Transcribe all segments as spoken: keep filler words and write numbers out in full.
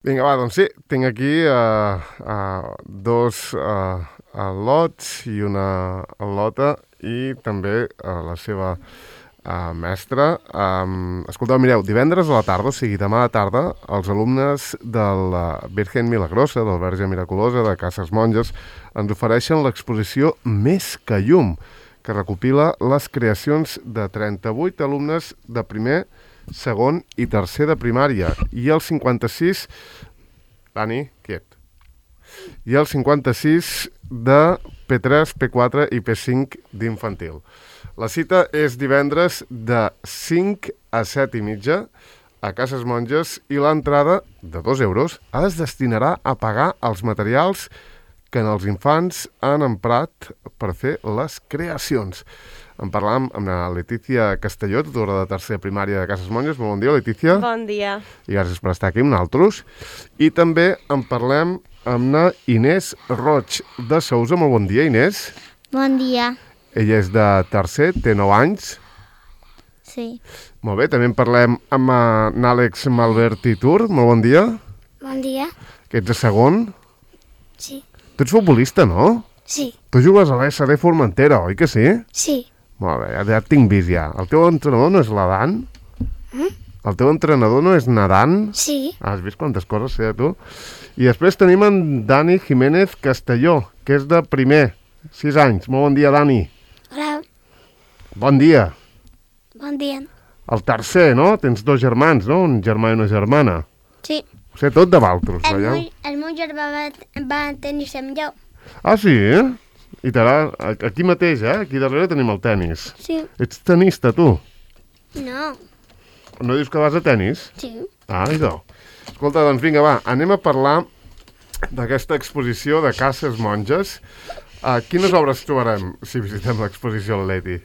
Vinga, va, doncs sí, tinc aquí uh, uh, dos uh, al·lots i una al·lota i també uh, la seva uh, mestra. Um, escolteu, mireu, divendres a la tarda, o sigui, demà a la tarda, els alumnes de la Virgen Milagrosa, del Verge Miraculosa, de Cases Monges, ens ofereixen l'exposició Més que llum, que recopila les creacions de trenta-vuit alumnes de primer, segon i tercer de primària, i el cinquanta-sis... Dani, quiet. I el cinquanta-sis de P tres, P quatre i P cinc d'infantil. La cita és divendres de cinc a set i mitja a Cases Monges i l'entrada, de dos euros, es destinarà a pagar els materials que els infants han emprat per fer les creacions. En parlàvem amb la Letícia Castelló, tutora de tercera primària de Cases Monges. Molt bon dia, Letícia. Bon dia. I gràcies per estar aquí amb nosaltres. I també en parlem amb la Inés Roig de Sousa. Molt bon dia, Inés. Bon dia. Ella és de tercer, té nou anys. Sí. Molt bé, també en parlem amb en Àlex Malvert i Tur. Molt bon dia. Bon dia. Que ets de segon. Sí. Tu ets futbolista, no? Sí. Tu jugues a l'S D Formentera, oi que sí? Sí. Molt bé, ja, ja et tinc vist ja. El teu entrenador no és l'Adan? Mm? El teu entrenador no és Nadan? Sí. Ah, has vist quantes coses sé de tu? I després tenim en Dani Jiménez Castelló, que és de primer, sis anys. Molt bon dia, Dani. Hola. Bon dia. Bon dia. El tercer, no? Tens dos germans, no? Un germà i una germana. Sí. Ho sé tot de Valtros, El veieu? meu, el meu germà va, va tenir amb jo. Ah, sí? I t'agrada... Aquí mateix, eh? Aquí darrere tenim el tennis. Sí. Ets tenista, tu? No. No dius que vas a tennis? Sí. Ah, idò. Escolta, doncs vinga, va, anem a parlar d'aquesta exposició de Cases Monges. Uh, quines obres trobarem si visitem l'exposició al Leti?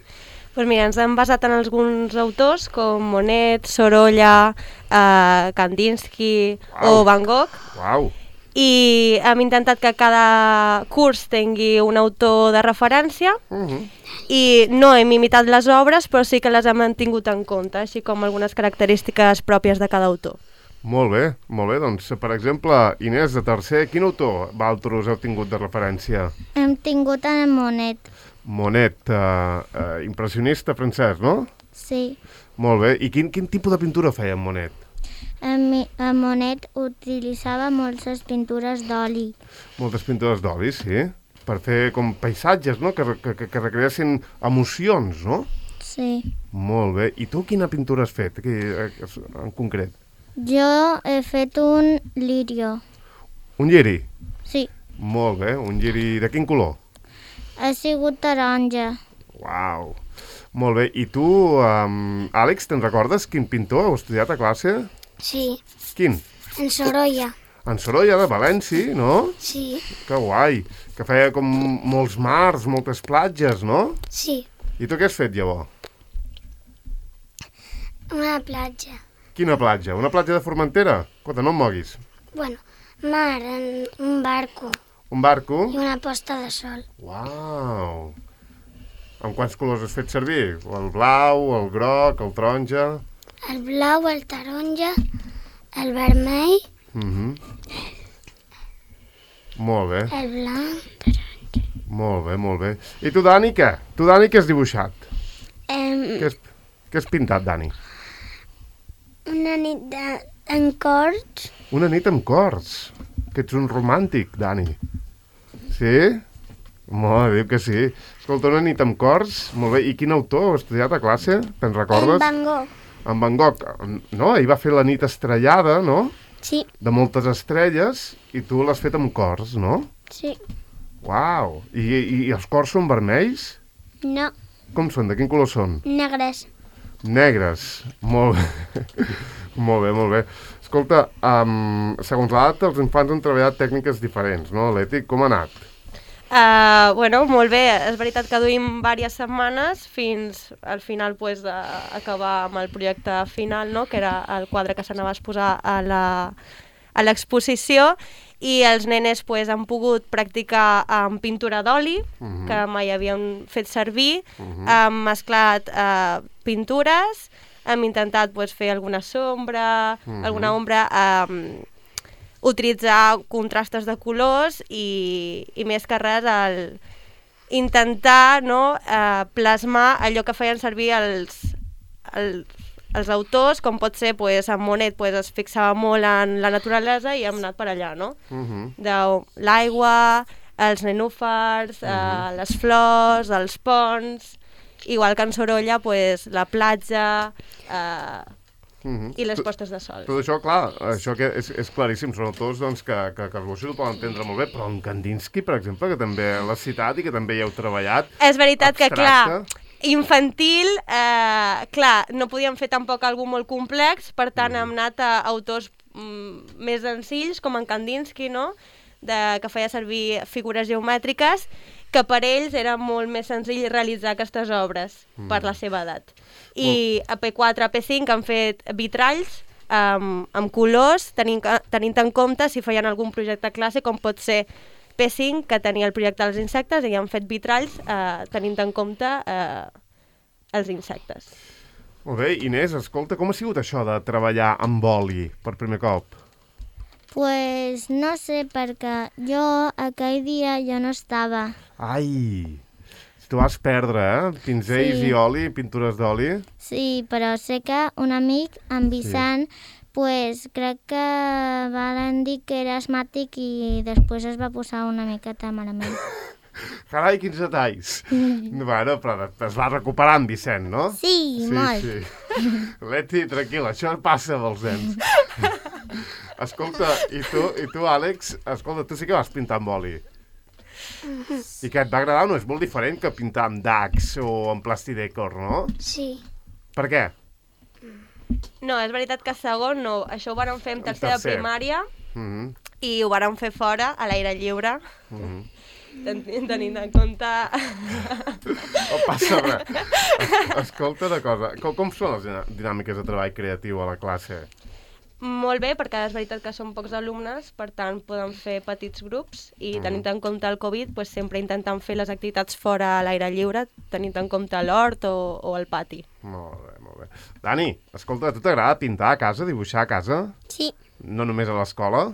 Pues mira, ens hem basat en alguns autors com Monet, Sorolla, eh, Kandinsky Uau. o Van Gogh, Uau! i hem intentat que cada curs tingui un autor de referència, Uh -huh. i no hem imitat les obres, però sí que les hem tingut en compte, així com algunes característiques pròpies de cada autor. Molt bé, molt bé. Doncs, per exemple, Inés, de tercer, quin autor Valtros heu tingut de referència? Hem tingut en Monet. Monet, uh, uh, impressionista francès, no? Sí. Molt bé. I quin, quin tipus de pintura feia en Monet? En, en Monet utilitzava moltes pintures d'oli. Moltes pintures d'oli, sí. Per fer com paisatges, no? Que, que, que recreessin emocions, no? Sí. Molt bé. I tu quina pintura has fet, aquí, en concret? Jo he fet un lirio. Un lliri? Sí. Molt bé. Un lliri de quin color? Ha sigut taronja. Uau. Molt bé. I tu, um, Àlex, te'n recordes quin pintor heu estudiat a classe? Sí. Quin? En Sorolla. En Sorolla, de València, no? Sí. Que guai. Que feia com molts mars, moltes platges, no? Sí. I tu què has fet, llavors? Una platja. Quina platja? Una platja de Formentera? Escolta, no em moguis. Bueno, mar, en un barco Un barco? i una posta de sol. Uau! Amb quants colors has fet servir? El blau, el groc, el taronja... El blau, el taronja, el vermell, Mhm. Molt bé, el blanc. molt bé, molt bé. I tu, Dani, què? Tu, Dani, què has dibuixat? Em, Què has, què has pintat, Dani? una nit de, en corts. Una nit amb cors. Que ets un romàntic, Dani. Sí? Molt bé, diu que sí. Escolta, una nit amb cors, molt bé. I quin autor heu estudiat a classe? Te'n recordes? En Van Gogh. En Van Gogh. No? Ell va fer la nit estrellada, no? Sí, De moltes estrelles, i tu l'has fet amb cors, no? sí. Uau! I, i, i els cors són vermells? No, Com són? De quin color són? negres. Negres. Molt bé. Molt bé, molt bé. Escolta, um, segons l'edat, els infants han treballat tècniques diferents, no, Leti? Com ha anat? Uh, bueno, molt bé, és veritat que duim diverses setmanes fins al final pues, d'acabar amb el projecte final, no? Que era el quadre que s'anava a exposar a la, a l'exposició, i els nenes pues, han pogut practicar amb pintura d'oli, Mhm. que mai havien fet servir, Mhm. han mesclat uh, pintures, hem intentat pues, fer alguna sombra, Mhm. alguna ombra, um, utilitzar contrastes de colors i, i més que res el intentar, no, eh, plasmar allò que feien servir els, els, els autors, com pot ser, pues, en Monet pues, es fixava molt en la naturalesa i hem anat per allà, no? Uh-huh. De l'aigua, els nenúfars, uh-huh. eh, les flors, els ponts, igual que en Sorolla, pues, la platja... Eh, Uh-huh. i les postes de sol. Tot això, clar, això que és, és claríssim, són autors doncs, que, que, que els boixos ho poden entendre molt bé, però en Kandinsky, per exemple, que també l'has citat i que també hi heu treballat... És veritat abstracte. Que, clar, infantil, eh, clar, no podíem fer tampoc algú molt complex, per tant mm. hem anat a autors mm, més senzills, com en Kandinsky, no?, de, que feia servir figures geomètriques, que per ells era molt més senzill realitzar aquestes obres mm. per la seva edat. I a P quatre, a P cinc han fet vitralls amb, amb colors, tenint, tenint en compte si feien algun projecte classe, com pot ser P cinc, que tenia el projecte dels insectes, i han fet vitralls eh, tenint en compte eh, els insectes. Molt bé, Inés, escolta, com ha sigut això de treballar amb oli per primer cop? Pues no sé, perquè jo aquell dia jo no estava. Ai, tu vas perdre, eh? Pinzells sí. i oli, pintures d'oli. Sí, però sé que un amic, en Vicent, sí. pues crec que van dir que era asmàtic i després es va posar una miqueta malament. Carai, quins detalls. Bueno, però es va recuperar en Vicent, no? Sí, sí molt. Sí. Leti, tranquil·la, això passa dels nens. Escolta, i tu, i tu, Àlex, escolta, tu sí que vas pintar amb oli. I què, et va agradar o no? És molt diferent que pintar amb Dax o amb Plastidecor, no? Sí. Per què? No, és veritat que segon no. Això ho vàrem fer en tercer de primària mm-hmm. i ho vàrem fer fora, a l'aire lliure. Mm-hmm. Ten tenint en compte... No passa res. Escolta una cosa, com, com són les dinàmiques de treball creatiu a la classe? Molt bé, perquè és veritat que són pocs alumnes, per tant poden fer petits grups i mm. tenint en compte el Covid, pues, sempre intentant fer les activitats fora a l'aire lliure, tenint en compte l'hort o, o el pati. Molt bé, molt bé. Dani, escolta, a tu t'agrada pintar a casa, dibuixar a casa? Sí. No només a l'escola?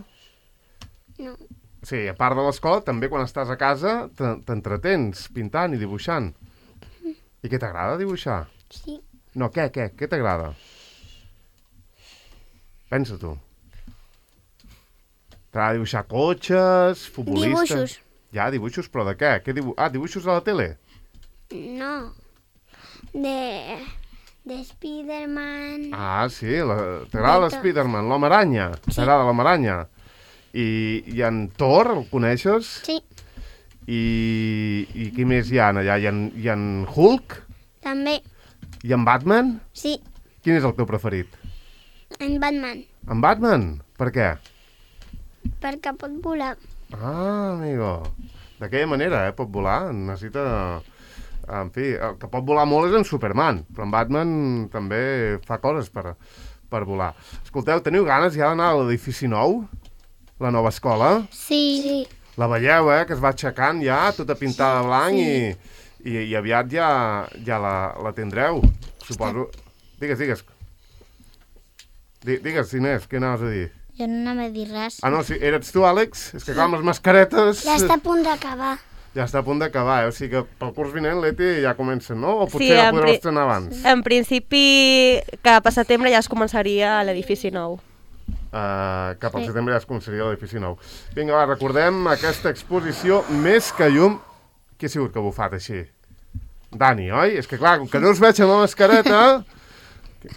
No. Sí, a part de l'escola, també quan estàs a casa t'entretens pintant i dibuixant. Mm. I què t'agrada dibuixar? Sí. No, què, què? Què t'agrada? Pensa tu. T'agrada dibuixar cotxes, futbolistes... Dibuixos. Ja, dibuixos, però de què? què dibu... Ah, dibuixos a la tele? No. De... de Spiderman... Ah, sí, la... t'agrada l'Spiderman, l'home aranya. Sí. T'agrada l'home aranya. I, I en Thor, el coneixes? Sí. I, i qui més hi ha allà? I en, I en Hulk? També. I en Batman? Sí. Quin és el teu preferit? En Batman. En Batman? Per què? Perquè pot volar. Ah, amigo. D'aquella manera, eh? Pot volar. Necessita... En fi, el que pot volar molt és en Superman, però en Batman també fa coses per, per volar. Escolteu, teniu ganes ja d'anar a l'edifici nou? La nova escola? Sí. sí. La veieu, eh? Que es va aixecant ja, tota pintada de blanc sí. i, i, i aviat ja, ja la, la tindreu, suposo. Digues, digues. Digues, Inés, què anaves a dir? Jo no anava a dir res. Ah, no, sí, eres tu, Àlex? És que clar, amb les mascaretes... Ja està a punt d'acabar. Ja està a punt d'acabar, eh? O sigui que pel curs vinent, Leti, ja comencen, no? O potser sí, ja podreu pri... estrenar abans? En principi, cap a setembre ja es començaria a l'edifici nou. Uh, cap al sí. setembre ja es començaria l'edifici nou. Vinga, va, recordem aquesta exposició Més que llum. Qui ha sigut que ha bufat així? Dani, oi? És que clar, com que no us veig amb la mascareta...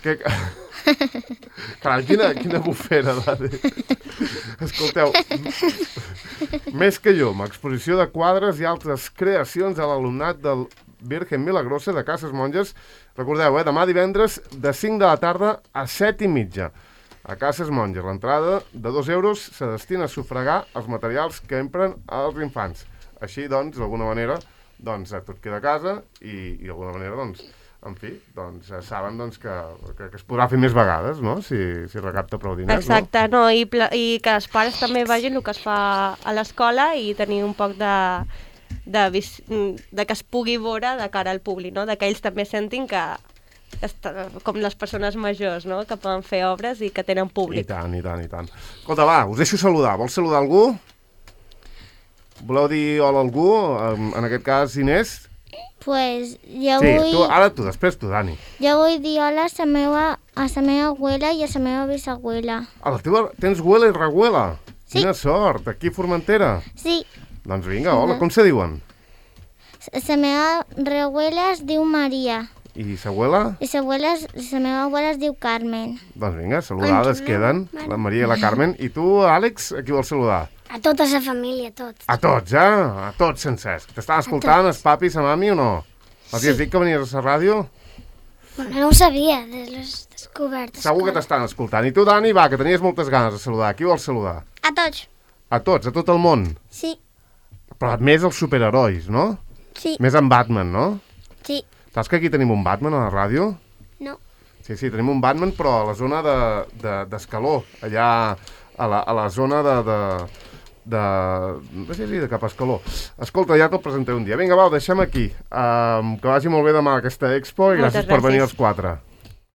que... Carai, quina, quina bufera, Dani. Escolteu, Més que llum, exposició de quadres i altres creacions a l'alumnat del Virgen Milagrosa de Cases Monges. Recordeu, eh, demà divendres de cinc de la tarda a set i mitja. A Cases Monges, l'entrada de dos euros se destina a sufragar els materials que empren els infants. Així, doncs, d'alguna manera, doncs, tot queda a casa i, i d'alguna manera, doncs, en fi, doncs, saben doncs, que, que, que es podrà fer més vegades, no?, si, si recapta prou diners. Exacte, no? No? I, i que els pares també vegin el que es fa a l'escola i tenir un poc de, de, de que es pugui veure de cara al públic, no? De que ells també sentin que, està, com les persones majors, no?, que poden fer obres i que tenen I públic. tant, i tant, i tant. Escolta, va, us deixo saludar. Vols saludar algú? Voleu dir hola a algú? En, en aquest cas, Inés? Pues jo Sí, vull... tu, ara tu, després tu, Dani. Jo vull dir hola a la meva, a la meva abuela i a la meva bisabuela. A la teva... Tens abuela i reabuela? Sí. Quina sort, aquí a Formentera. Sí, Doncs vinga, hola, com se diuen? la meva reabuela es diu Maria I sa abuela? i la abuela es- la meva abuela es diu Carmen. Doncs vinga, saludades queden, la Maria i la Carmen. I tu, Àlex, a qui vols saludar? A tota la família, a tots. A tots, eh? A tots sencers. T'estan escoltant, els papis, la mami o no? Els sí. has dit que venies a la ràdio? Bueno, no ho sabia, de les descobertes. Segur que t'estan escoltant. I tu, Dani, va, que tenies moltes ganes de saludar. A qui vols saludar? A tots. A tots, a tot el món. Sí, Però més els superherois, no? sí, Més en Batman, no? sí. Saps que aquí tenim un Batman a la ràdio? No. Sí, sí, tenim un Batman, però a la zona de- de- d'Escaló, de, allà a la, a la zona de... de de... no sé si de cap a Escaló. Escolta, ja te'l presentaré un dia. Vinga, va, ho deixem aquí. Um, que vagi molt bé demà aquesta expo i Moltes gràcies per venir gràcies. els quatre.